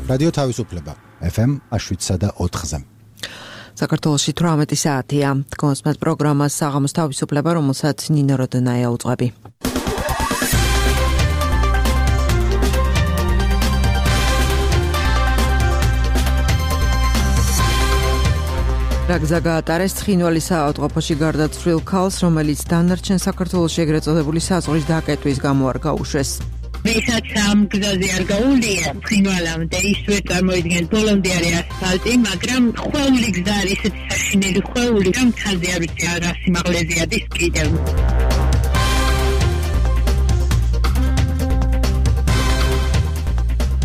რადიო თავისუფლება FM 7.4-ზე. საქართველოში 18 საათია. კონსმეთ პროგრამას საღამოს თავისუფლება, რომელსაც ნინო როდონაია უძღვები. რა გზა გაატარეს ცხინვალის საავადმყოფოში გარდაცვლილ ქალს, რომელიც დანარჩენ საქართველოში ეგრეთ წოდებული საზღვრის დაკეტვის გამო არ გაუშვეს. ვისაც ამ გზაზე არ გაუვლია ცხინვალამდე, ისვე წარმოიდგენთ ბოლომდე არის ასფალტი, მაგრამ ხვეული გზა არის ისეთი საშინელი ხვეული, რომ მთაზე არ ვიცი რა სიმაღლეზე ადის კიდევ.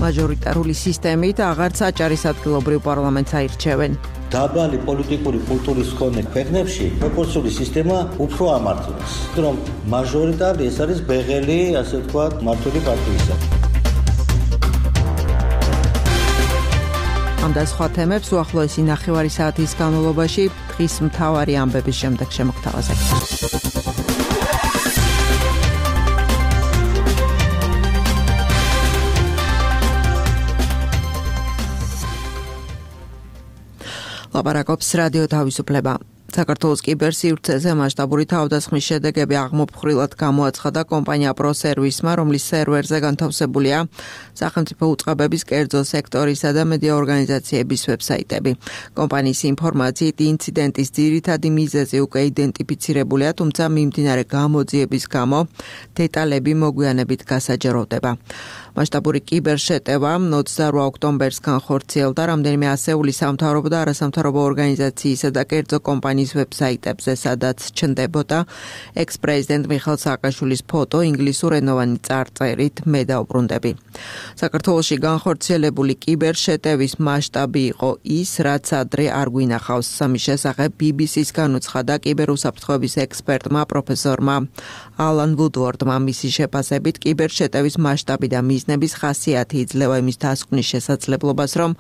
მაჟორიტარული სისტემით აღარც აჭარის ადგილობრივ პარლამენტს აირჩევენ. დაბალი პოლიტიკური კულტურის მქონე ქვეყნებში პროპორციული სისტემა უფრო ამართლებს, რომ მაჟორიტარი ეს არის ბეღელი, ასე ვთქვათ, მართული პარტიისა. ამ და სხვა თემებს უახლოესი ნახევარი საათის განმავლობაში დღის მთავარი ამბების შემდეგ შემოგთავაზებთ. ლაპარაკობს რადიო თავისუფლება. საქართველოს კიბერსივრცეზე მასშტაბური თავდასხმის შედეგები აღმოფხვრილად გამოაცხადა კომპანია პროსერვისმა, რომლის სერვერზე განთავსებულია სახელმწიფო უწყებების კერძო სექტორისა და მედია ორგანიზაციების ვებსაიტები. კომპანიის ინფორმაციით ინციდენტის ძირითადი მიზეზი უკვე იდენტიფიცირებულია, თუმცა მიმდინარე გამოძიების გამო დეტალები მოგვიანებით გასაჯეროვდება. მასშტაბური კიბერშეტევა 28 ოქტომბერს განხორციელდა რამდენიმე ასეული სამთავრობო და არასამთავრობო ორგანიზაციისა და კერძო კომპანიის ვებსაიტებზე, სადაც ჩნდებოდა ექს-პრეზიდენტ მიხეილ სააკაშვილის ფოტო ინგლისურენოვანი წარწერით „მე დაუბრუნდები“. საქართველოში განხორციელებული კიბერშეტევის მასშტაბი იყო ის, რაც ადრე არ გვინახავს. ამის შესახებ BBC-ს განუცხადა კიბერუსაფრთხოების ექსპერტმა პროფესორმა ალან ვუდვორდმა. მისი შეფასებით კიბერშეტევის მასშტაბი და მიზნების ხასიათი იძლევა იმის დასკვნის შესაძლებლობას, რომ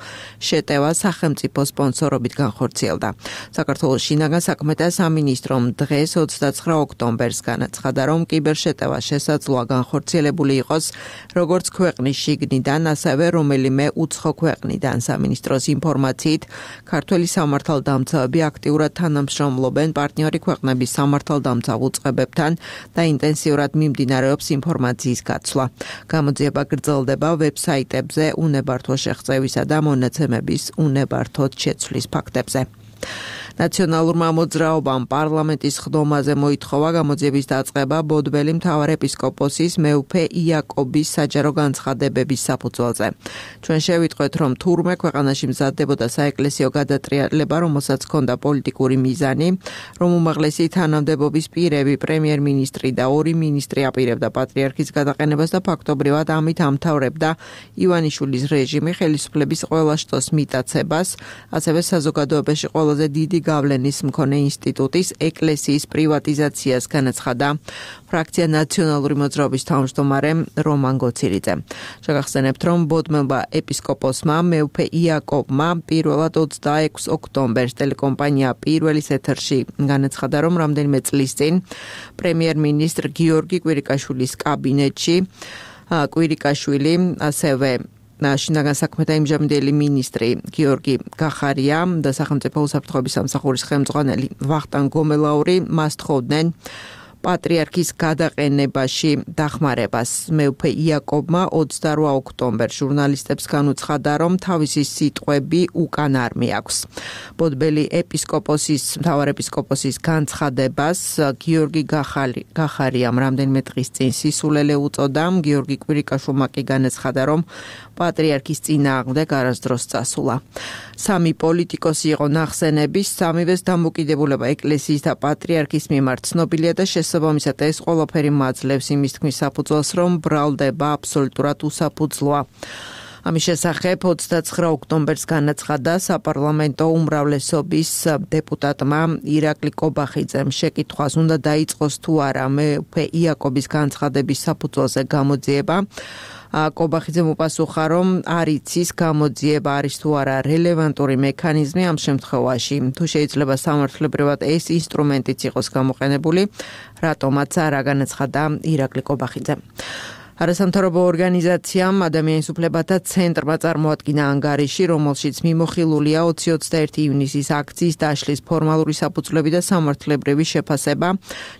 შეტევა სახელმწიფო სპონსორობით განხორციელდა. საქართველოს შინაგან საქმეთა სამინისტრომ დღეს 29 ოქტომბერს განაცხადა, რომ კიბერშეტევა შესაძლოა განხორციელებული იყოს როგორც ქვეყნის შიგნიდან, ასევე რომელიმე უცხო ქვეყნიდან. სამინისტროს ინფორმაციით, ქართველი სამართალდამცავები აქტიურად თანამშრომლობენ პარტნიორი ქვეყნების სამართალდამცავ უწყებებთან და ინტენსიურად მიმდინარეობს ინფორმაციის გაცვლა. გამოძიება გრძელდება ვებსაიტებზე უნებართვო შეღწევისა და მონაცემების უნებართოდ შეცვლის ფაქტებზე. ნაციონალურმა მოძრაობამ პარლამენტის ხდომაზე მოითხოვა გამოძიების დაწყება ბოდბელი მთავარეპისკოპოსის მეუფე იაკობის საჯარო განცხადებების საფუძველზე. ჩვენ შევიტყვეთ, რომ თურმე ქვეყანაში მზადდებოდა საეკლესიო გადატრიალება, რომელსაც ჰქონდა პოლიტიკური მიზანი, რომ უმაღლესი თანამდებობის პირები, პრემიერ-მინისტრი და ორი მინისტრი აპირებდა პატრიარქის გადაყენებას და ფაქტობრივად ამით ამთავრებდა ივანიშვილის რეჟიმი ხელისუფლების ყველა შტოს მიტაცებას, ასევე საზოგადოებაში ყველაზე დიდი გავლენის მქონე ინსტიტუტის ეკლესიის პრივატიზაციას განაცხადა ფრაქცია ნაციონალური მოძრაობის თავმჯდომარე რომან გოცილიძე. შეგახსენებთ, რომ ბოდბელმა ეპისკოპოსმა მეუფე იაკობმა პირველად 26 ოქტომბერს ტელეკომპანია პირველის ეთერში განაცხადა, რომ რამდენიმე წლის წინ პრემიერ-მინისტრ გიორგი კვირიკაშვილის კაბინეტში კვირიკაშვილი ასევე შინაგან საქმეთა იმჟამინდელი მინისტრი გიორგი გახარია და სახელმწიფო უსაფრთხოების სამსახურის ხელმძღვანელი ვახტანგ გომელაური მას თხოვდნენ პატრიარქის გადაყენებაში დახმარებას. მეუფე იაკობმა 28 ოქტომბერს ჟურნალისტებს განუცხადა, რომ თავისი სიტყვები უკან არ მიაქვს. ბოდბელი მთავარეპისკოპოსის განცხადებას გიორგი გახარიამ რამდენიმე დღის წინ სისულელე უწოდა. გიორგი კვირიკაშვილმა კი განაცხადა, რომ პატრიარქის წინააღმდეგ არასდროს წასულა. სამი პოლიტიკოსი იყო ნახსენების, სამივეს დამოკიდებულება ეკლესიის და პატრიარქის მიმართ ცნობილია და შესაბამისად ეს ყველაფერი მაძლევს იმის თქმის საფუძველს, რომ ბრალდება აბსოლუტურად უსაფუძვლოა. ამის შესახებ 29 ოქტომბერს განაცხადა საპარლამენტო უმრავლესობის დეპუტატმა ირაკლი კობახიძემ შეკითხვას უნდა დაიწყოს თუ არა მეუფე იაკობის განცხადების საფუძველზე გამოძიება. კობახიძემ უპასუხა, რომ არ იცის გამოძიება არის თუ არა რელევანტური მექანიზმი ამ შემთხვევაში. თუ შეიძლება სამართლებრივად ეს ინსტრუმენტიც იყოს გამოყენებული, რატომაც არა, განაცხადა ირაკლი კობახიძე. არასამთავრობო ორგანიზაციამ ადამიანის უფლებათა ცენტრმა წარმოადგინა ანგარიში, რომელშიც მიმოხილულია 20-21 ივნისის აქციის დაშლის ფორმალური საფუძვლები და სამართლებრივი შეფასება,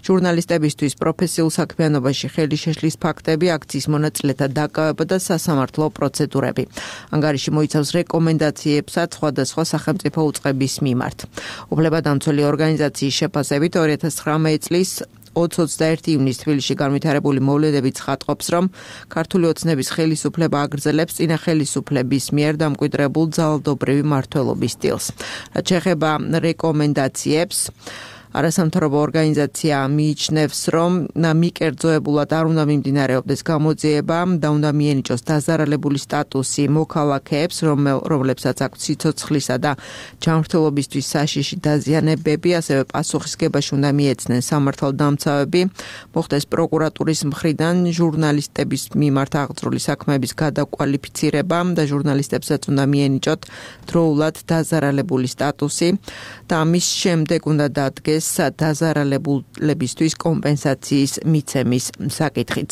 ჟურნალისტებისთვის პროფესიულ საქმიანობაში ხელი შეშლის ფაქტები, აქციის მონაწილეთა დაკავება და სასამართლო პროცედურები. ანგარიში მოიცავს რეკომენდაციებსაც სხვადასხვა სახელმწიფო უწყების მიმართ. უფლებადამცველი ორგანიზაციის შეფასებით 2019 წლის 20-21 ივნისს თბილისში განვითარებული მოვლენები ცხადყოფს, რომ ქართული ოცნების ხელისუფლება აგრძელებს წინა ხელისუფლების მიერ დამკვიდრებულ ძალადობრივი მმართველობის სტილს. რაც შეეხება რეკომენდაციებს, არასამთავრობო ორგანიზაცია მიიჩნევს, რომ მიკერძოებულად არ უნდა მიმდინარეობდეს გამოძიება და უნდა მიენიჭოს დაზარალებული სტატუსი მოქალაქეებს, რომლებსაც აქვთ სიცოცხლისა და ჯანმრთელობისთვის საშიში დაზიანებები, ასევე პასუხისგებაში უნდა მიეცნენ სამართალდამცავები, მოხდეს პროკურატურის მხრიდან ჟურნალისტების მიმართ აღძრული საქმეების გადაკვალიფიცირება და ჟურნალისტებსაც უნდა მიენიჭოთ დროულად დაზარალებული სტატუსი და ამის შემდეგ უნდა დადგეს დაზარალებულებისთვის კომპენსაციის მიცემის საკითხიც.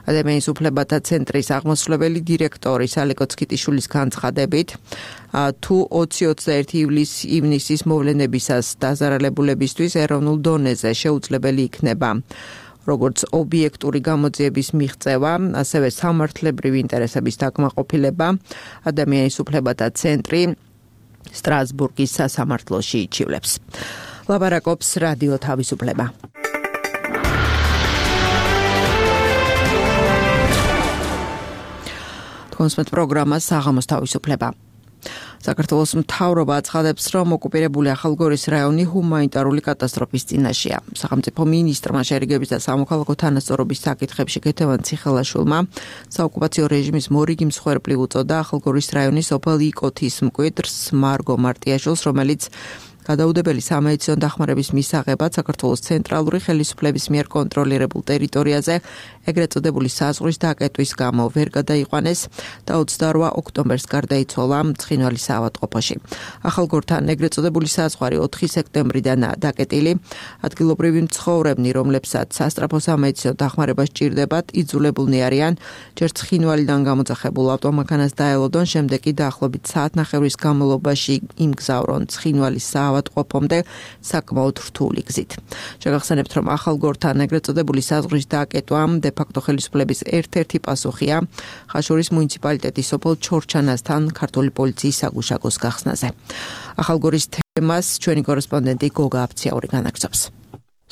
ადამიანის უფლებათა ცენტრის აღმასრულებელი დირექტორის ალეკო ცქიტიშვილის განცხადებით, თუ 20-21 ივნისის მოვლენებისას დაზარალებულებისთვის ეროვნულ დონეზე შეუძლებელი იქნება როგორც ობიექტური გამოძიების მიღწევა, ასევე სამართლებრივი ინტერესების დაკმაყოფილება, ადამიანის უფლებათა ცენტრი სტრასბურგის სასამართლოში იჩივლებს. ლაბარაკობს რადიო თავისუფლება. თქვენს პროგრამას საღამოს თავისუფლება. საქართველოს მთავრობა აცხადებს, რომ ოკუპირებული ახალგორის რაიონი ჰუმანიტარული კატასტროფის წინაშეა. სახელმწიფო მინისტრმა შერიგების და სამოქალაქო თანასწორობის საკითხებში ქეთევან ციხელაშვილმა საოკუპაციო რეჟიმის მორიგი მსხვერპლი უწოდა ახალგორის რაიონის სოფელ იკოთის მკვიდრს მარგო მარტიაშვილს, რომელიც გადაუდებელი სამედიცინო დახმარების მისაღებად საქართველოს ცენტრალური ხელისუფლების მიერ კონტროლირებულ ტერიტორიაზე ეგრეთ წოდებული საზღვრის დაკეტვის გამო ვერ გადაიყვანეს და 28 ოქტომბერს გარდაიცვალა ცხინვალის საავადმყოფოში. ახალგორთან ეგრეთ წოდებული საზღვარი 4 სექტემბრიდანაა დაკეტილი. ადგილობრივი მცხოვრებნი, რომლებსაც სასწრაფო სამედიცინო დახმარება სჭირდებათ, იძულებულნი არიან ჯერ ცხინვალიდან გამოძახებულ ავტომანქანას დაელოდონ, შემდეგ კი დაახლოებით საათნახევრის განმავლობაში იმგზავრონ ცხინვალის ავადმყოფომდე საკმაოდ რთული გზით. შეგახსენებთ, რომ ახალგორთან ეგრეთ წოდებული საზღვრის დაკეტვა დე-ფაქტო ხელისუფლების ერთ-ერთი პასუხია ხაშურის მუნიციპალიტეტის სოფელ ჩორჩანასთან ქართული პოლიციის საგუშაგოს გახსნაზე. ახალგორის თემას ჩვენი კორესპონდენტი გოგა აფციაური განაგრძობს.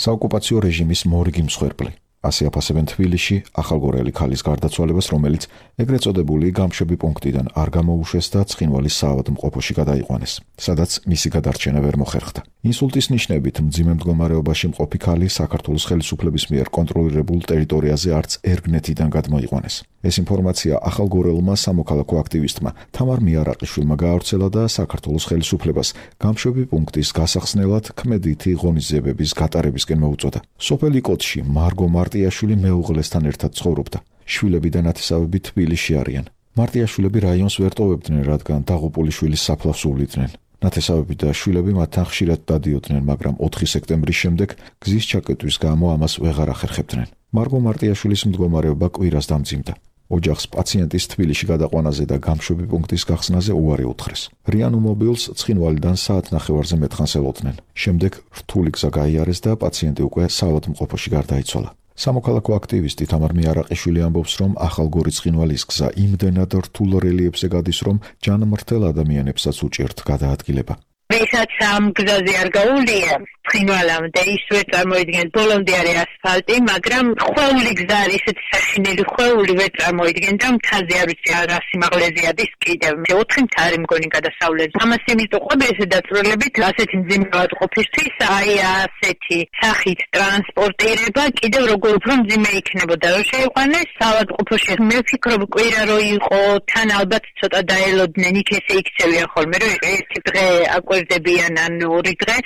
საოკუპაციო რეჟიმის მორიგი მსხვერპლი. ასე აფასებენ თბილისში ახალგორელი ქალის გარდაცვალებას, რომელიც ეგრეთ წოდებული გამშვები პუნქტიდან არ გამოუშვეს და ცხინვალის საავადმყოფოში გადაიყვანეს, სადაც მისი გადარჩენა ვერ მოხერხდა. ინსულტის ნიშნებით მძიმე მდგომარეობაში მყოფი ქალი საქართველოს ხელისუფლების მიერ კონტროლირებულ ტერიტორიაზე არც ერგნეთიდან გადმოიყვანეს. ეს ინფორმაცია ახალგორელმა სამოქალაქო აქტივისტმა თამარ მიარაყიშვილმა გაავრცელა და საქართველოს ხელისუფლებას გამშვები პუნქტის გასახსნელად ქმედითი ღონისძიებების გატარებისკენ მოუწოდა. სოფელ იკოთში მარგო მარტიაშვილი მეუღლესთან ერთად ცხოვრობდა. შვილები და ნათესავები თბილისში არიან. მარტიაშვილები რაიონს ვერ ტოვებდნენ, რადგან დაღუპული შვილის საფლავს უვლიდნენ. ნათესავები და შვილები მათთან ხშირად დადიოდნენ, მაგრამ 4 სექტემბრის შემდეგ გზის ჩაკეტვის გამო ამას ვეღარ ახერხებდნენ. მარგო მარტიაშვილის მდგომარეობა კვირას დამძიმდა. ოჯახს პაციენტის თბილისში გადაყვანაზე და გამშვები პუნქტის გახსნაზე უარი უთხრეს. რიანუმობილს ცხინვალიდან საათნახევარზე მეტხანს ელოდნენ. შემდეგ რთული გზა გაიარეს და პაციენტი უკვე საავადმყოფოში გარდაიცვალა. სამოქალაქო აქტივისტი თამარ მიარაყიშვილი ამბობს, რომ ახალგორის ცხინვალის გზა იმდენად რთულ რელიეფზე გადის, რომ ჯანმრთელ ადამიანებსაც უჭერთ გადაადგილება. ვისაც ამ გზაზე არ გაუვლია ცხინვალამდე, ისევე წარმოიდგენთ ბოლომდე არის ასფალტი, მაგრამ ხვეული გზა არის, ესეთი საშინელი ხვეული ვერ წარმოიდგენთ და მთაზე არ ვიცი რა სიმაღლეზე ადის კიდევ 4 მთა არის მგონი გადასავლელი. ამას იმით უყვები ესე დაწვრილებით, ასეთი მძიმე ავადმყოფისთვის აი ასეთი სახით ტრანსპორტირება კიდევ როგორ უფრო მძიმე იქნებოდა, რომ შეიყვანეს ავადმყოფოში. მე ვფიქრობ, კვირა რო იყო, თან ალბათ ცოტა დაელოდნენ, იქ ესე იქცევია ხოლმე, რომ ერთი დღე აკვირ გვერდებიან ან ორი დღე.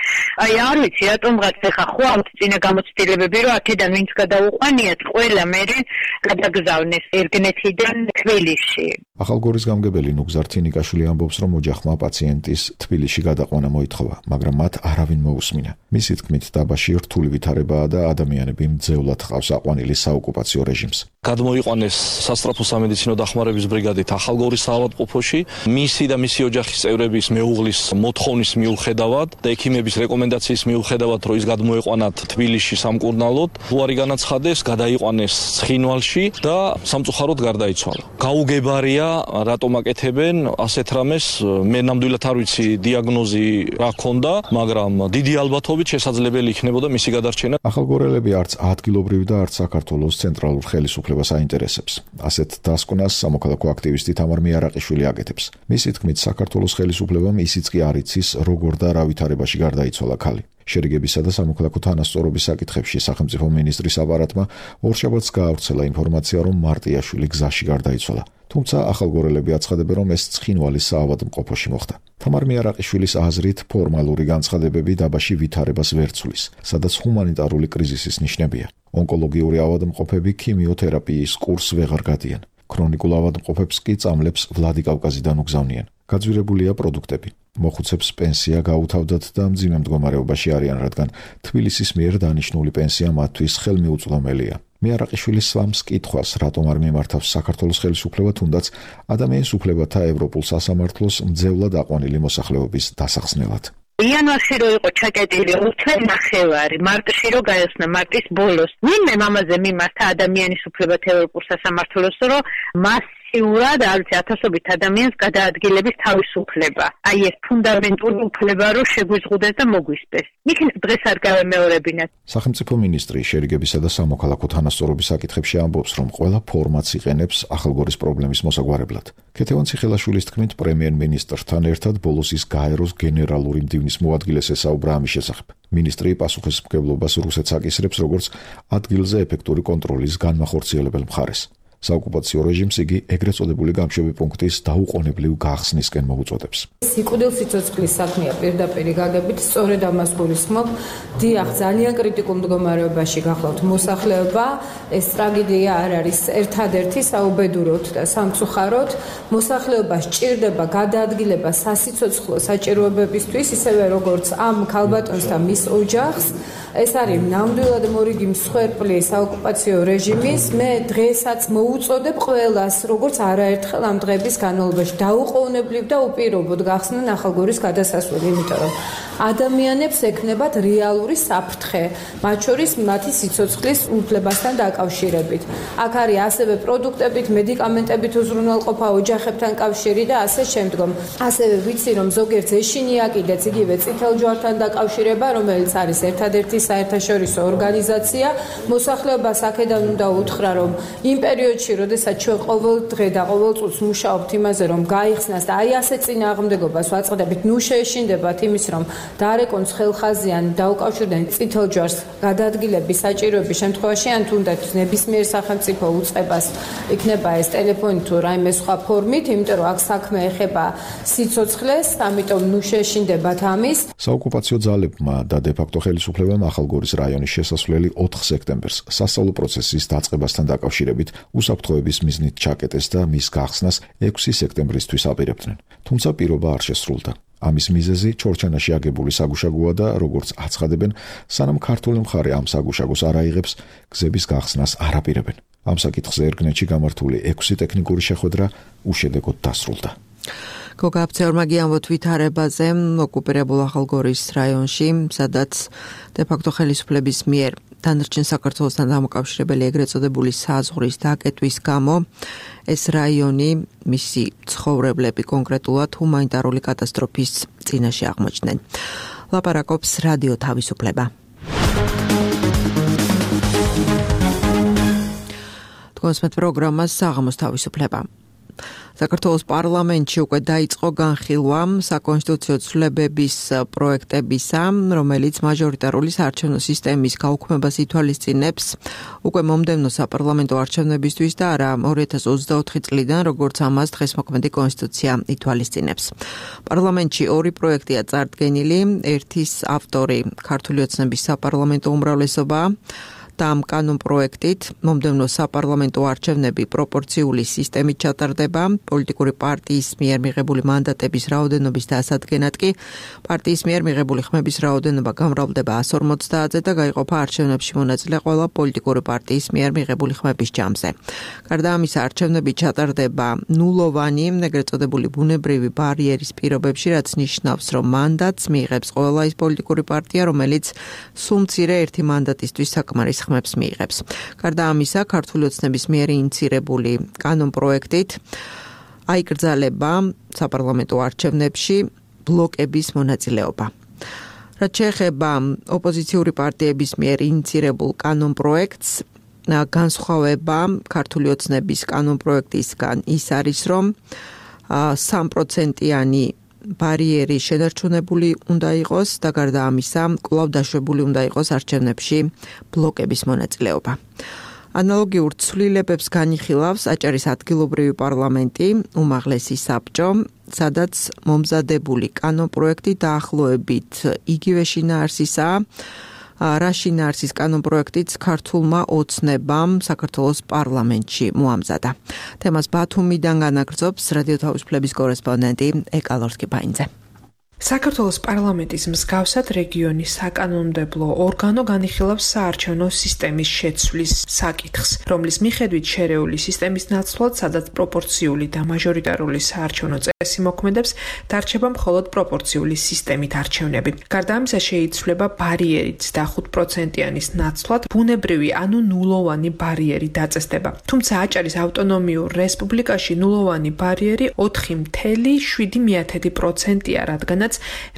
აი არ ვიცი რატომღაც ეხა ხვავთ წინა გამოცდილებები რომ აქედან ვინც გადაუყვანიათ ყველა მერე გადაგზავნეს ერგნეთიდან თბილისში. ახალგორის გამგებელი ნუგზარ თინიკაშვილი ამბობს, რომ ოჯახმა პაციენტის თბილისში გადაყვანა მოითხოვა, მაგრამ მათ არავინ მოусმინა. მისი თქმით, დაბაში რთული ვითარებაა და ადამიანები მძევლად ჰყავს აყვანილი საოკუპაციო რეჟიმს. გადმოიყვანეს სასწრაფო სამედიცინო დახმარების ბრიგადით ახალგორის საავადმყოფოში, მისი და მისი ოჯახის წევრების მეუღლის მოთხოვნის მიუხედავად და ექიმების რეკომენდაციის მიუხედავად, რომ ის გადმოეყვანათ თბილისში სამკურნალოდ, უარი განაცხადეს, გადაიყვანეს ცხინვალში და სამწუხაროდ გარდაიცვალა. გაუგებარია რატომ აკეთებენ ასეთ რამეს, მე ნამდვილად არ ვიცი დიაგნოზი რა ქონდა, მაგრამ დიდი ალბათობით შესაძლებელი იქნებოდა მისი გადარჩენა. ახალგორელები არც ადგილობრივ და არც საქართველოს ცენტრალურ ხელისუფლებას აინტერესებს. ასეთ დასკვნას სამოქალაქო აქტივისტი თამარ მიარაყიშვილი აკეთებს. მისი თქმით, საქართველოს ხელისუფლებამ ისიც კი არ იცის, როგორ და რა ვითარებაში გარდაიცვალა ქალი. შერიგებისა და სამოქალაქო თანასწორობის საკითხებში სახელმწიფო მინისტრის აპარატმა ორშაბათს გაავრცელა ინფორმაცია, რომ მარტიაშვილი გზაში გარდაიცვალა. თუმცა ახალგორელები აცხადებენ, რომ ეს ცხინვალის საავადმყოფოში მოხდა. თამარ მიარაყიშვილის აზრით, ფორმალური განცხადებები დაბაში ვითარებას ვერ ცვლის, სადაც ჰუმანიტარული კრიზისის ნიშნებია. ონკოლოგიური ავადმყოფები ქიმიოთერაპიის კურსს ვეღარ გადიან. ქრონიკულ ავადმყოფებს კი წამლებს ვლადიკავკაზიდან უგზავნიან. გაძვირებულია პროდუქტები. მოხუცებს პენსია გაუთავდათ და მძიმე მდგომარეობაში არიან, რადგან თბილისის მიერ დანიშნული პენსია მათთვის ხელმიუწვდომელია. მიარაყიშვილი სვამს კითხვას, რატომ არ მიმართავს საქართველოს ხელისუფლება თუნდაც ადამიანის უფლებათა ევროპულ სასამართლოს მძევლად აყვანილი მოსახლეობის დასახსნელად. იანვარში რო იყო ჩაკეტილი 5.5 მარტში რო გაიხსნა მარტის ბოლოს. ვინმე მამაზე მიმართა ადამიანის უფლებათა ევროპულ სასამართლოს, რომ მასიურად არც ათასობით ადამიანს გადაადგილების თავისუფლება. აი ეს ფუნდამენტური უფლება რო შეგვიზღუდეს და მოგვისპეს. იქნებ დღეს არ გავემეორებინათ. სახელმწიფო მინისტრი შერიგებისა და სამოქალაქო თანასწორობის საკითხებში ამბობს, რომ ყველა ფორმატს იყენებს ახალგორის პრობლემის მოსაგვარებლად. ქეთევან ციხელაშვილის თქმით, პრემიერ-მინისტრთან ერთად ბოლოს ის გაეროს გენერალური მდივნის მოადგილეს ესაუბრა ამის შესახებ. მინისტრი პასუხისმგებლობას რუსეთს აკისრებს, როგორც ადგილზე ეფექტური კონტროლის განმახორციელებელ მხარეს. საოკუპაციო რეჟიმს იგი ეგრეთ წოდებული გამშვები პუნქტის დაუყოვნებლივ გახსნისკენ მოუწოდებს. სიკვდილ სიცოცხლის საქმეა პირდაპირ გაგებით, სწორედ ამას გულისხმობ. დიახ, ძალიან კრიტიკულ მდგომარეობაში გახლავთ მოსახლეობა. ეს ტრაგედია არ არის ერთადერთი საუბედუროთ და სამწუხაროდ. მოსახლეობა სჭირდება გადაადგილება სასიცოცხლო საჭიროებებისთვის, ისევე როგორც ამ ქალბატონს და მის ოჯახს. ეს არის ნამდვილად მორიგი მსხვერპლი საოკუპაციო რეჟიმის. მე დღესაც მოუწოდებ ყველას, როგორც არაერთხელ ამ დღების განმავლობაში დაუყოვნებლივ და უპირობოდ გახსნან ახალგორის გადასასვლელი, იმიტომ რომ ადამიანებს ექნებათ რეალური საფრთხე, მათ შორის მათი სიცოცხლის უფლებასთან დაკავშირებით. აქ არის ასევე პროდუქტებით, მედიკამენტებით უზრუნველყოფა, ოჯახებთან კავშირი და ასე შემდგომ. ასევე ვიცი, რომ ზოგიერთს ეშინია კიდეც იგივე წითელ ჯვართან დაკავშირება, რომელიც არის ერთადერთი საერთაშორისო ორგანიზაცია. მოსახლეობას აქედან უნდა უთხრა, რომ იმ პერიოდში, როდესაც ჩვენ ყოველ დღე და ყოველ წუთს მუშაობთ იმაზე, რომ გაიხსნას და აი ასე წინააღმდეგობას ვაწყდებით, ნუ შეეშინდებათ იმის, რომ დაარეკონს ხელხაზიან, დაუკავშირდნენ წითელ ჯვარს გადაადგილების საჭიროების შემთხვევაში, ან თუნდაც ნებისმიერ სახელმწიფო უწყებას იქნება ეს ტელეფონით თუ რაიმე სხვა ფორმით, იმიტომ რომ აქ საქმე ეხება სიცოცხლეს, ამიტომ ნუ შეეშინდებათ ამის. საოკუპაციო ძალებმა და დე-ფაქტო ხელისუფლებამ ახალგორის რაიონის შესასვლელი 4 სექტემბერს სასწავლო პროცესის დაწყებასთან დაკავშირებით უსაფრთხოების მიზნით ჩაკეტეს და მის გახსნას 6 სექტემბრისთვის აპირებდნენ. თუმცა პირობა არ შესრულდა. ამის მიზეზი ჩორჩანაში აგებული საგუშაგოა და როგორც აცხადებენ, სანამ ქართული მხარე ამ საგუშაგოს არ აიღებს, გზების გახსნას არ აპირებენ. ამ საკითხზე ერგნეთში გამართული 6 ტექნიკური შეხვედრა უშედეგოდ დასრულდა. გოგა აფცეორმა გიამბოთ ვითარებაზე ოკუპირებულ ახალგორის რაიონში, სადაც დე-ფაქტო ხელისუფლების მიერ დანარჩენ საქართველოსთან დამოკავშირებელი ეგრეთ წოდებული საზღვრის დაკეტვის გამო ეს რაიონი, მისი ცხოვრებლები კონკრეტულად ჰუმანიტარული კატასტროფის წინაშე აღმოჩნდნენ. ლაპარაკობს რადიო თავისუფლება. თქვენს პროგრამას საღამოს თავისუფლება. საქართველოს პარლამენტში უკვე დაიწყო განხილვა საკონსტიტუციო ცვლილებების პროექტებისა, რომელიც მაჟორიტარული საარჩევნო სისტემის გაუქმებას ითვალისწინებს უკვე მომდევნო საპარლამენტო არჩევნებისთვის და არა 2024 წლიდან, როგორც ამას დღეს მოქმედი კონსტიტუცია ითვალისწინებს. პარლამენტში ორი პროექტია წარდგენილი, ერთის ავტორი ქართული ოცნების საპარლამენტო უმრავლესობაა. და ამ კანონ პროექტით მომდევნო საპარლამენტო არჩევნები პროპორციული სისტემით ჩატარდება, პოლიტიკური პარტიის მიერ მიღებული მანდატების რაოდენობის დასადგენად კი პარტიის მიერ მიღებული ხმების რაოდენობა გამრავლდება 150-ზე და გაიყოფა არჩევნებში მონაწილე ყველა პოლიტიკური პარტიის მიერ მიღებული ხმების ჯამზე. გარდა ამისა, არჩევნები ჩატარდება ნულოვანი, ეგრეთ წოდებული ბუნებრივი ბარიერის პირობებში, რაც ნიშნავს, რომ მანდატს მიიღებს ყველა ის პოლიტიკური პარტია, რომელიც სულ მცირე ერთი მანდატისთვის საკმარის ხმებს მიიღებს. გარდა ამისა, ქართული ოცნების მიერ ინიცირებული კანონ პროექტით აიკრძალება საპარლამენტო არჩევნებში ბლოკების მონაწილეობა. რაც შეეხება ოპოზიციური პარტიების მიერ ინიცირებულ კანონ პროექტს, განსხვავება ქართული ოცნების კანონ პროექტისგან ის არის, რომ 3%-იანი ბარიერი შენარჩუნებული უნდა იყოს და გარდა ამისა, კვლავ დაშვებული უნდა იყოს არჩევნებში ბლოკების მონაწილეობა. ანალოგიურ ცვლილებებს განიხილავს აჭარის ადგილობრივი პარლამენტი, უმაღლესი საბჭო, სადაც მომზადებული კანონ პროექტი დაახლოებით იგივე შინაარსისაა, რა შინაარსის კანონ პროექტიც ქართულმა ოცნებამ საქართველოს პარლამენტში მოამზადა. თემას ბათუმიდან განაგრძობს რადიო თავისუფლების კორესპონდენტი ეკალორსკი-ბაინძე. საქართველოს პარლამენტის მსგავსად რეგიონის საკანონმდებლო ორგანო განიხილავს საარჩევნო სისტემის შეცვლის საკითხს, რომლის მიხედვით შერეული სისტემის ნაცვლად, სადაც პროპორციული და მაჟორიტარული საარჩევნო წესი მოქმედებს, დარჩება მხოლოდ პროპორციული სისტემით არჩევნები. გარდა ამისა, შეიცვლება ბარიერიც და 5%-იანის ნაცვლად ბუნებრივი, ანუ ნულოვანი ბარიერი დაწესდება. თუმცა აჭარის ავტონომიურ რესპუბლიკაში ნულოვანი ბარიერი 4,7%-ია, რადგანაც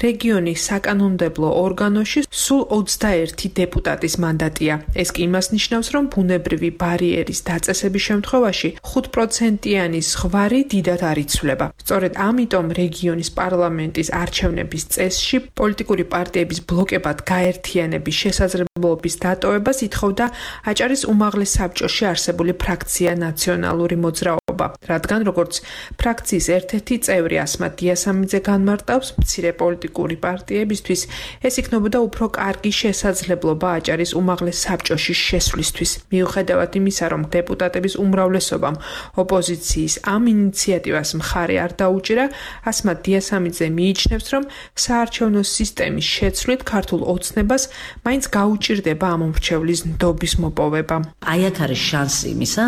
რეგიონის საკანონმდებლო ორგანოში სულ 21 დეპუტატის მანდატია. ეს კი იმას ნიშნავს, რომ ბუნებრივი ბარიერის დაწესების შემთხვევაში 5%-იანი ზღვარი დიდად არ იცვლება. სწორედ ამიტომ რეგიონის პარლამენტის არჩევნების წესში პოლიტიკური პარტიების ბლოკებად გაერთიანების შესაძლებლობის დატოვებას ითხოვდა აჭარის უმაღლეს საბჭოში არსებული ფრაქცია ნაციონალური მოძრაობა, რადგან როგორც ფრაქციის ერთ-ერთი წევრი ასმათ დიასამიძე განმარტავს, მცირე პოლიტიკური პარტიებისთვის ეს იქნებოდა უფრო კარგი შესაძლებლობა აჭარის უმაღლეს საბჭოში შესვლისთვის. მიუხედავად იმისა, რომ დეპუტატების უმრავლესობამ ოპოზიციის ამ ინიციატივას მხარი არ დაუჭირა, ასმათ დიასამიძე მიიჩნევს, რომ საარჩევნო სისტემის შეცვლით ქართულ ოცნებას მაინც გაუჭირდება ამ მრჩევლის ნდობის მოპოვება. აი აქ არის შანსი იმისა,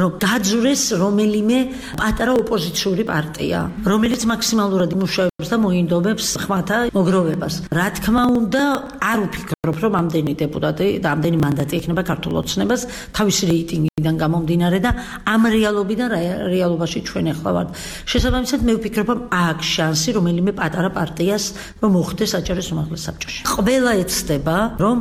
რომ გაძვრეს რომელიმე პატარა ოპოზიციური პარტია, რომელიც მაქსიმალურად იმუშავებს და მოინდომებს ხმათა მოგროვებას. რა თქმა უნდა, არ ვფიქრობ, რომ ამდენი დეპუტატი და ამდენი მანდატი ექნება ქართულ ოცნებას თავისი რეიტინგიდან გამომდინარე და ამ რეალობიდან რეალობაში ჩვენ ახლა ვართ. შესაბამისად, მე ვფიქრობ, რომ აქ შანსი რომელიმე პატარა პარტიას რომ მოხდეს აჭარის უმაღლეს საბჭოში. ყველა ეცდება, რომ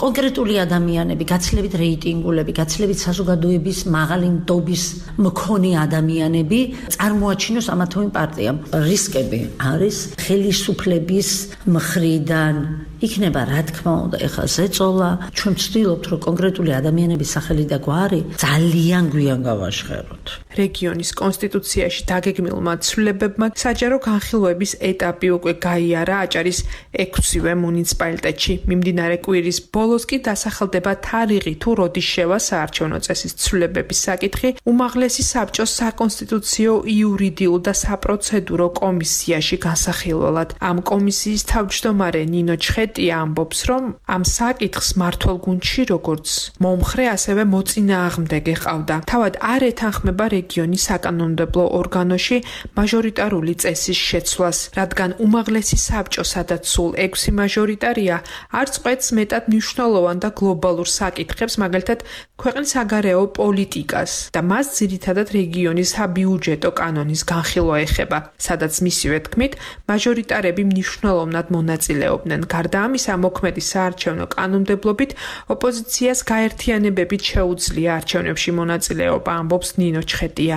კონკრეტული ადამიანები, გაცილებით რეიტინგულები, გაცილებით საზოგადოების მაღალი ნდობის მქონე ადამიანები წარმოაჩინოს ამა თუ იმ პარტიამ. რისკები არის ხელისუფლების მხრიდან იქნება, რა თქმა უნდა, ეხლა ზეწოლა, ჩვენ ვცდილობთ, რომ კონკრეტული ადამიანების სახელი და გვარი ძალიან გვიან გავაშხეროთ. რეგიონის კონსტიტუციაში დაგეგმილმა ცვლილებებმა საჯარო განხილვების ეტაპი უკვე გაიარა აჭარის 6-ვე მუნიციპალიტეტში. მიმდინარე კვირის ბოლოს კი დასახელდება თარიღი თუ როდის შევა საარჩევნო წესის ცვლილებების საკითხი უმაღლესი საბჭოს საკონსტიტუციო, იურიდიულ და საპროცედურო კომისიაში განსახილველად. ამ კომისიის თავმჯდომარე ნინო ჩხეტია ამბობს, რომ ამ საკითხს მართულ გუნდში როგორც მომხრე, ასევე მოწინააღმდეგე ყავდა. თავად არ ეთანხმება რეგიონის საკანონმდებლო ორგანოში მაჟორიტარული წესის შეცვლას, რადგან უმაღლესი საბჭო, სადაც სულ 6 მაჟორიტარია, არც ყვეთს მეტად მნიშვნელოვან და გლობალურ საკითხებს, მაგალითად ქვეყნის საგარეო პოლიტიკას და მას ძირითადად რეგიონის საბიუჯეტო კანონის განხილვა ეხება, სადაც მისივე თქმით მაჟორიტარები მნიშვნელოვნად მონაწილეობდნენ. გარდა ამისა, მოქმედი საარჩევნო კანონმდებლობით ოპოზიციას გაერთიანებებით შეუძლია არჩევნებში მონაწილეობა, ამბობს ნინო ჩხეტია.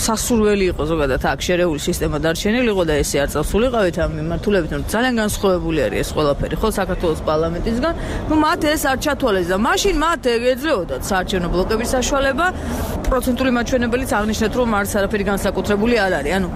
სასურველი იყო ზოგადად აქ შერეული სისტემა დარჩენილი იყო და ესე არ წასულიყავით ამ მიმართულებით, რომ ძალიან განსხვავებული არის ეს ყველაფერი, ხო, საქართველოს პარლამენტისგან. მათ ეს არ ჩათვალეს და მაშინ მათ ეძლეოდათ საარჩევნო ბლოკების საშუალება. პროცენტული მაჩვენებელიც აღნიშნეთ, რომ არც არაფერი განსაკუთრებული არ არის. ანუ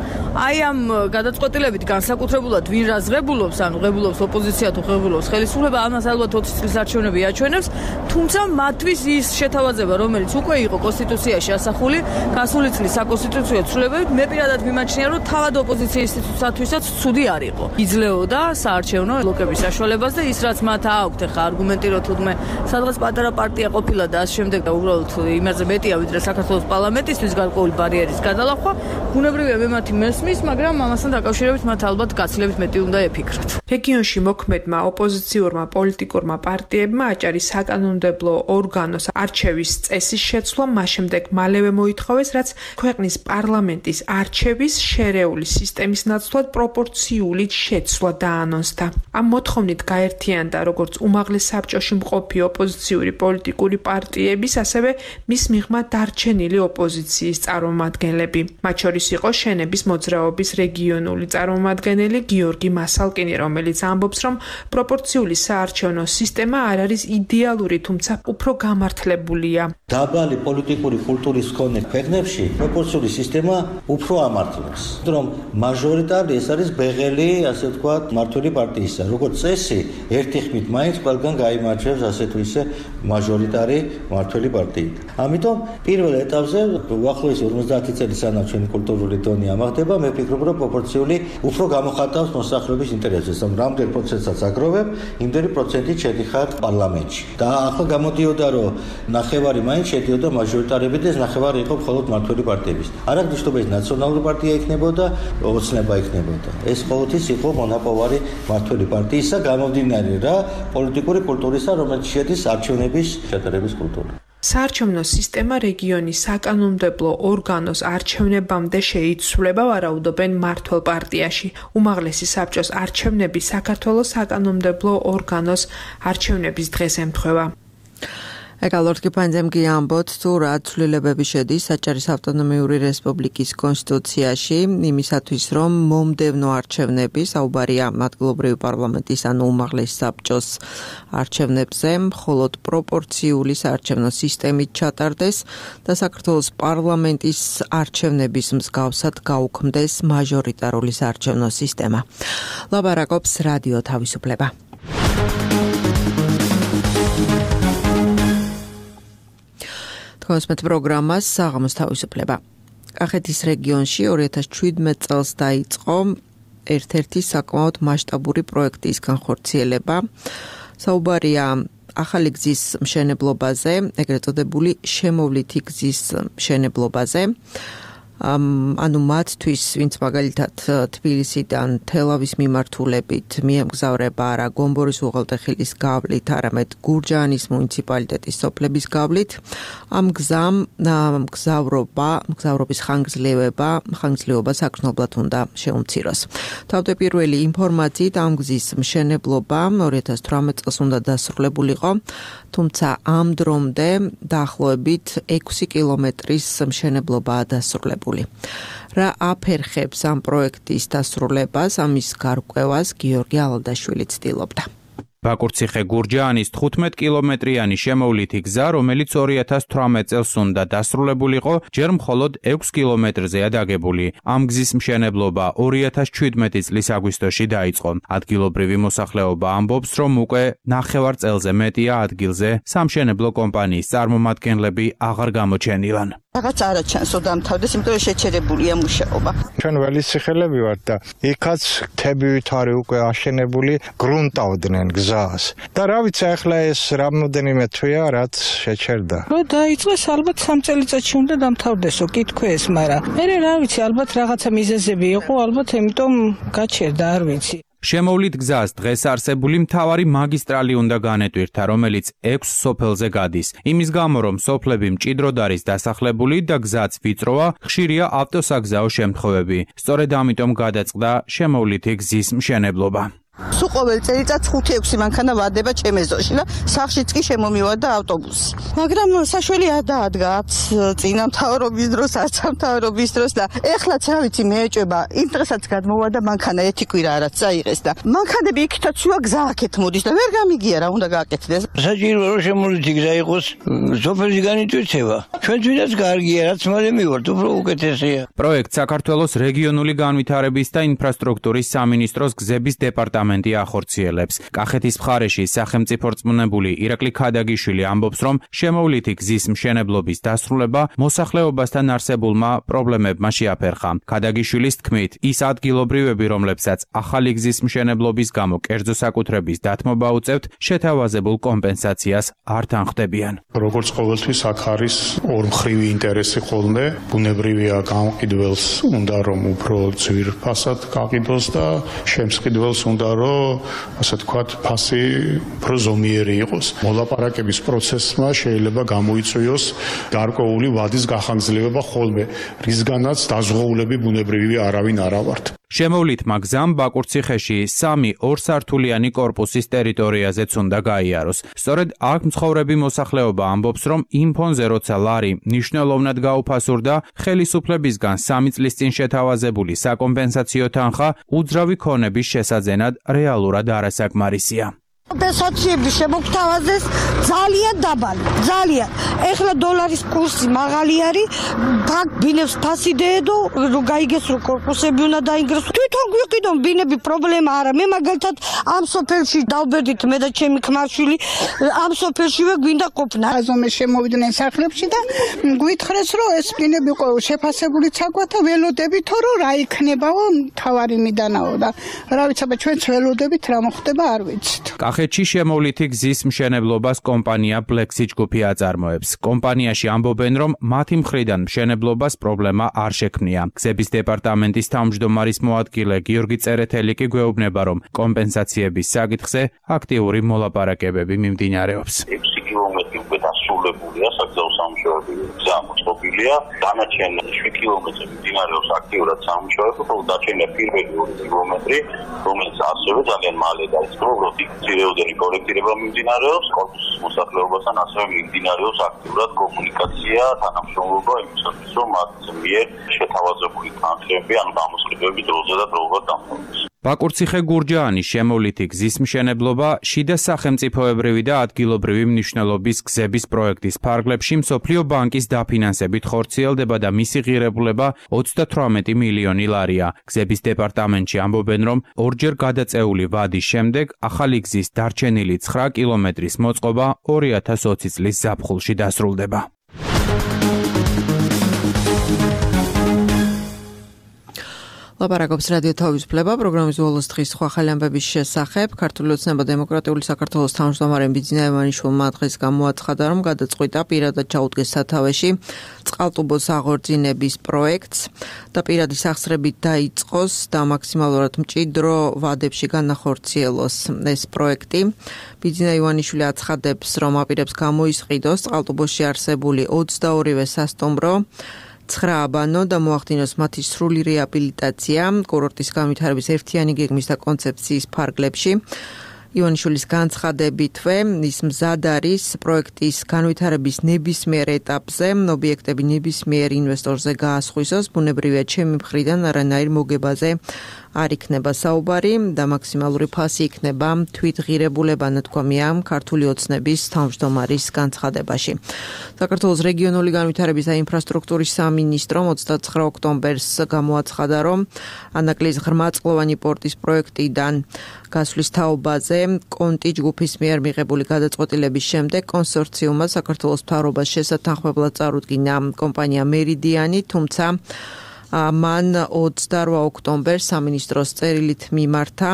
აი ამ გადაწყვეტილებით განსაკუთრებულად ვინ რა ზღებულობს, ანუ ღებულობს ოპოზიცია თუ ღებულობს ხელისუფლება, ამას ალბათ 20 წლის არჩევნები აჩვენებს, თუმცა მათთვის ის შეთავაზება, რომელიც უკვე იყო კონსტიტუციაში ასახული, გასული წლის საკონსტიტუციო ცვლილებებით, მე პირადად მიმაჩნია, რომ თავად ოპოზიციის ინსტიტუტისთვისაც ცუდი არ იყო. იძლეოდა საარჩევნო ბლოკების საშუალებას და ის რაც მათ აქვთ, ხა არგუმენტი რომ თუნდაც სადღაც პატარა პარტია ყოფილა და ამ შემდეგ და უბრალოდ იმაზე მეტია ვიდრე საქართველოს პარლამენტისთვის გარკვეული ბარიერის გადალახვა, ბუნებრივია მე მათი მესმის, მაგრამ ამასთან დაკავშირებით მათ ალბათ გაცილებით მეტი უნდა ეფიქრათ. რეგიონში მოქმედმა ოპოზიციურმა პოლიტიკურმა პარტიებმა აჭარის საკანონმდებლო ორგანოს არჩევის წესის შეცვლა მას შემდეგ მალევე მოითხოვეს, რაც ქვეყნის პარლამენტის არჩევის შერეული სისტემის ნაცვლად პროპორციული შეცვლა დაანონსდა. ამ მოთხოვნით გაერთიანდა როგორც უმაღლეს საბჭოში მყოფი ოპოზიციური პოლიტიკური პარტიების, ასევე მის მიღმა დარჩენილი ოპოზიციის წარმომადგენლები. მათ შორის იყო შენების მოძრაობის რეგიონული წარმომადგენელი გიორგი მასალკინი, რომელიც ამბობს, რომ პროპორციული საარჩევნო სისტემა არ არის იდეალური, თუმცა უფრო გამართლებულია. დაბალი პოლიტიკური კულტურის მქონე ქვეყნებში პროპორციული სისტემა უფრო ამართლებს, რომ მაჟორიტარი ეს არის ბეღელი, ასე ვთქვათ, მმართველი პარტიისა. როგორც წესი, ერთი ხმით მაინც ყველგან გაიმარჯვებს ასე თუ ისე მაჟორიტარი მმართველი პარტიით. ამიტომ პირველ ეტაპზე უახლოესი 50 წელი სანამ ჩვენი კულტურული დონე ამაღლდება, მე ვფიქრობ, რომ პროპორციული უფრო გამოხატავს მოსახლეობის ინტერესებს, რომ რამდენ პროცენტსაც აგროვებ, იმდენი პროცენტით შედიხარ პარლამენტში. და ახლა გამოდიოდა, რომ ნახევარი მაინც შედიოდა მაჟორიტარები და ეს ნახევარი იყო მხოლოდ მმართველი პარტიების. არ აქვს მნიშვნელობა ეს ნაციონალური პარტია იქნებოდა, ოცნება იქნებოდა. ეს ყოველთვის იყო მონაპოვარი მმართველი პარტიისა, გამომდინარე რა პოლიტიკური კულტურისა, რომელიც შედის არჩევნების შეტარების კულტურა. საარჩევნო სისტემა რეგიონის საკანონმდებლო ორგანოს არჩევნებამდე შეიცვლება, ვარაუდობენ მმართველ პარტიაში. უმაღლესი საბჭოს არჩევნები საქართველოს საკანონმდებლო ორგანოს არჩევნების დღეს ემთხვევა. ეკალორთ კიფანძემგი ამბობთ, თუ რა ცვლილებები შედის აჭარის ავტონომიური რესპუბლიკის კონსტიტუციაში, იმისათვის, რომ მომდევნო არჩევნები, საუბარია ადგილობრივი პარლამენტის ან უმაღლეს საბჭოს არჩევნებზე, მხოლოდ პროპორციული საარჩევნო სისტემით ჩატარდეს და საქართველოს პარლამენტის არჩევნების მსგავსად გაუქმდეს მაჟორიტარული საარჩევნო სისტემა. ლაბარაკობს რადიო თავისუფლება. კონსმეთ პროგრამას საღამოს თავისუფლება. კახეთის რეგიონში 2017 წელს დაიწყო ერთ-ერთი საკმაოდ მასშტაბური პროექტის განხორციელება. საუბარია ახალი გზის მშენებლობაზე, ეგრეთ წოდებული შემოვლითი გზის მშენებლობაზე. ანუ მათთვის, ვინც მაგალითად თბილისიდან თელავის მიმართულებით მიემგზავრება არა გომბორის უღელტეხილის გავლით, არამედ გურჯაანის მუნიციპალიტეტის სოფლების გავლით, ამ გზამ მგზავრობის ხანგრძლივობა საგრძნობლად უნდა შეუმციროს. თავდაპირველი ინფორმაციით ამ გზის მშენებლობა 2018 წელს უნდა დასრულებულიყო, თუმცა ამ დრომდე დაახლოებით 6 კილომეტრის მშენებლობაა დასრულებული. რა აფერხებს ამ პროექტის დასრულებას, ამის გარკვევას გიორგი ალადაშვილი ცდილობდა. ბაკურციხე გურჯაანის 15 კილომეტრიანი შემოვლითი გზა, რომელიც 2018 წელს უნდა დასრულებულიყო, ჯერ მხოლოდ 6 კილომეტრზეა დაგებული. ამ გზის მშენებლობა 2017 წლის აგვისტოში დაიწყო. ადგილობრივი მოსახლეობა ამბობს, რომ უკვე ნახევარ წელზე მეტია ადგილზე სამშენებლო კომპანიის წარმომადგენლები აღარ გამოჩენილან. რაღაც არა ჩანს რომ დამთავრდეს, იმიტომ რომ შეჩერებულია მუშაობა. ჩვენ ველისიხელები ვართ და იქაც თებივით არის უკვე აშენებული, გრუნტავდნენ გზას. და რა ვიცი, ახლა ეს რამდენიმე თვეა, რაც შეჩერდა. რო დაიწყეს, ალბათ 3 წელიწადში უნდა დამთავრდესო, კითხვეს, მაგრამ მე რა ვიცი, ალბათ რაღაცა მიზეზები იყო, ალბათ იმიტომ გაჩერდა, არ ვიცი. შემოვლით გზას დღეს არსებული მთავარი მაგისტრალი უნდა განეტვირთა, რომელიც 6 სოფელზე გადის. იმის გამო, რომ სოფლები მჭიდროდ არის დასახლებული და გზაც ვიწროა, ხშირია ავტოსაგზაო შემთხვევები. სწორედ ამიტომ გადაწყდა შემოვლითი გზის მშენებლობა. სულ ყოველ წელიწადს 5-6 მანქანა ვადება ჩემ ეზოში და სახლშიც კი შემომივარდა ავტობუსი. მაგრამ საშველი არ დაადგა წინა მთავრობის დროს, არც მთავრობის დროს და ეხლაც რა ვიცი მე ეჭვება იმ დღესაც გადმოვა და მანქანა ერთი კვირა არაც წაიღეს და მანქანები იქითაც შუა გზა აქეთ მოდის და ვერ გამიგია რა უნდა გააკეთდეს. საჭირო რომ შემოვლითი გზა იყოს სოფელში განიწვევა. ჩვენთვისაც კარგია რაც მალე მივართ უფრო უკეთესია. პროექტ საქართველოს რეგიონული განვითარების და ინფრასტრუქტურის სამინისტროს გზების დეპარტამენტი ახორციელებს. კახეთის მხარეში სახელმწიფო რწმუნებული ირაკლი ქადაგიშვილი ამბობს, რომ შემოვლითი გზის მშენებლობის დასრულება მოსახლეობასთან არსებულმა პრობლემებმა შეაფერხა. ქადაგიშვილის თქმით, ის ადგილობრივები, რომლებსაც ახალი გზის მშენებლობის გამო კერძო საკუთრების დათმობა უწევთ, შეთავაზებულ კომპენსაციას არ თანხმდებიან. როგორც ყოველთვის აქ არის ორმხრივი ინტერესი ხოლმე, ბუნებრივია გამყიდველს უნდა რომ უფრო ძვირ ფასად გაყიდოს და შემსყიდველს უნდა რომ ასე ვთქვათ ფასი უფრო ზომიერი იყოს. მოლაპარაკების პროცესმა შეიძლება გამოიწვიოს გარკვეული ვადის გახანგრძლივება ხოლმე, რისგანაც დაზღვეულები ბუნებრივია არავინ არა ვართ. შემოვლითმა გზამ ბაკურციხეში 3 ორსართულიანი კორპუსის ტერიტორიაზეც უნდა გაიაროს. სწორედ აქ მცხოვრები მოსახლეობა ამბობს, რომ იმ ფონზე როცა ლარი მნიშვნელოვნად გაუფასურდა, ხელისუფლებისგან 3 წლის წინ შეთავაზებული საკომპენსაციო თანხა უძრავი ქონების შესაძენად რეალურად არასაკმარისია. კომპენსაციები შემოგთავაზეს ძალიან დაბალი, ძალიან. ეხლა დოლარის კურსი მაღალი არის, ბინებს ფასი დედო, რომ გაიგეს რომ კორპუსები უნდა დაინგროს. თვითონ გვიყიდონ ბინები პრობლემა არა. მე მაგალითად ამ სოფელში დავბერდით მე და ჩემი ქმარშვილი ამ სოფელშივე გვინდა ყოფნა. აზომე შემოვიდნენ სახლებში და გვითხრეს რომ ეს ბინები შეფასებული ცაგვათა ველოდებით რომ რა იქნებაო თავარი მიდანაო და რა ვიცი აბა ჩვენც ველოდებით რა მოხდება არ ვიცით. კახეთში შემოვლითი გზის მშენებლობას კომპანია Black Sea ჯგუფი აწარმოებს. კომპანიაში ამბობენ, რომ მათი მხრიდან მშენებლობას პრობლემა არ შექმნია. გზების დეპარტამენტის თავმჯდომარის მოადგილე გიორგი წერეთელი კი გვეუბნება, რომ კომპენსაციების საკითხზე აქტიური მოლაპარაკებები მიმდინარეობს. 6 კილომეტრი უკვე დასრულებულია, საგზაო სამუშაოები გზა მოწყობილია, დანარჩენი 7 კილომეტრი მიმდინარეობს აქტიურად სამუშაოები, ხოლო დარჩენილი პირველი 2 კილომეტრი, რომელიც ასევე ძალიან მალე დაიწყო, ძირეოდენი კორექტირება მიმდინარეობს, კორპუსის მოსახლეობასთან ასევე მიმდინარეობს აქტიურად კომუნიკაცია, თანამშრომლობა იმისათვის, რომ მათ მიერ შეთავაზებული თანხები, ანუ გამოსყიდვები დროზე და დროულად დამთავრდეს. ბაკურციხე-გურჯაანის შემოვლითი გზის მშენებლობა შიდა სახელმწიფოებრივი და ადგილობრივი მნიშვნელობის გზების პროექტის ფარგლებში მსოფლიო ბანკის დაფინანსებით ხორციელდება და მისი ღირებულება 38 მილიონი ლარია. გზების დეპარტამენტში ამბობენ, რომ ორჯერ გადაწეული ვადის შემდეგ ახალი გზის დარჩენილი 9 კილომეტრის მოწყობა 2020 წლის ზაფხულში დასრულდება. ლაპარაკობს რადიო თავისუფლება პროგრამის ბოლოს დღის სხვა ხელი ამბების შესახებ. ქართული ოცნება დემოკრატიული საქართველოს თავმჯდომარე ბიძინა ივანიშვილმა დღეს გამოაცხადა, რომ გადაწყვიტა პირადად ჩაუდგეს სათავეში წყალტუბოს აღორძინების პროექტს და პირადი სახსრებით დაიწყოს და მაქსიმალურად მჭიდრო ვადებში განახორციელოს ეს პროექტი. ბიძინა ივანიშვილი აცხადებს, რომ აპირებს გამოისყიდოს წყალტუბოში არსებული 22-ვე სასტუმრო 9 აბანო და მოახდინოს მათი სრული რეაბილიტაცია კურორტის განვითარების ერთიანი გეგმის და კონცეფციის ფარგლებში. ივანიშვილის განცხადებითვე ის მზად არის პროექტის განვითარების ნებისმიერ ეტაპზე ობიექტები ნებისმიერ ინვესტორზე გაასხვისოს, ბუნებრივია ჩემი მხრიდან არანაირ მოგებაზე არ იქნება საუბარი და მაქსიმალური ფასი იქნება თვითღირებულება, ნათქვამია ქართული ოცნების თავმჯდომარის განცხადებაში. საქართველოს რეგიონული განვითარების და ინფრასტრუქტურის სამინისტრომ 29 ოქტომბერს გამოაცხადა, რომ ანაკლის ღრმაწყლოვანი პორტის პროექტიდან გასვლის თაობაზე კონტი ჯგუფის მიერ მიღებული გადაწყვეტილების შემდეგ კონსორციუმმა საქართველოს მთავრობას შესათანხმებლად წარუდგინა კომპანია მერიდიანი, თუმცა მან 28 ოქტომბერს სამინისტროს წერილით მიმართა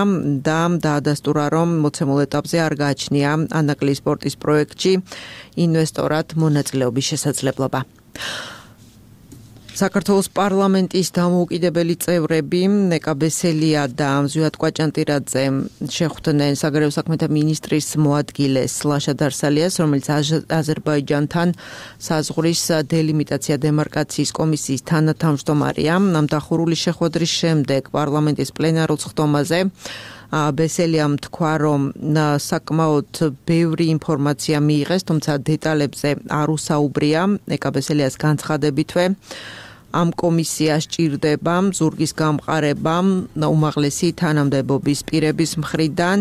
და დაადასტურა, რომ მოცემულ ეტაპზე არ გააჩნია ანაკლის პორტის პროექტში ინვესტორად მონაწილეობის შესაძლებლობა. საქართველოს პარლამენტის დამოუკიდებელი წევრები ნეკა ბესელია და ზვიად კვაჭანტირაძე შეხვდნენ საგარეო საქმეთა მინისტრის მოადგილეს ლაშა დარსალიას, რომელიც აზერბაიჯანთან საზღვრის დელიმიტაცია დემარკაციის კომისიის თანათავმჯდომარეა. ამ დახურული შეხვედრის შემდეგ პარლამენტის პლენარულ სხდომაზე ბესელიამ თქვა, რომ საკმაოდ ბევრი ინფორმაცია მიიღეს, თუმცა დეტალებზე არ უსაუბრია. ეკა ბესელიას განცხადებითვე ამ კომისიას ჭირდება ზურგის გამყარება უმაღლესი თანამდებობის პირების მხრიდან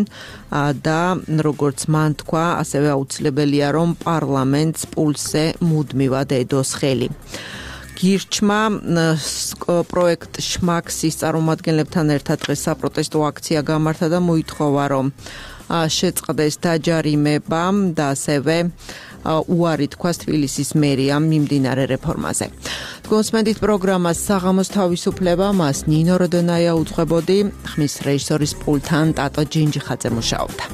და როგორც მან თქვა, ასევე აუცილებელია, რომ პარლამენტს პულსზე მუდმივად ედოს ხელი. გირჩმა პროექტ შმაქსის წარმომადგენლებთან ერთად დღეს საპროტესტო აქცია გამართა და მოითხოვა, რომ შეწყდეს დაჯარიმება და ასევე უარი თქვას თბილისის მერიამ მიმდინარე რეფორმაზე. გონსმენდით პროგრამას საღამოს თავისუფლება, მას ნინო როდონაია უძღვებოდი, ხმის რეჟისორის პულტთან ტატო ჯინჯიხაძე მუშაობდა.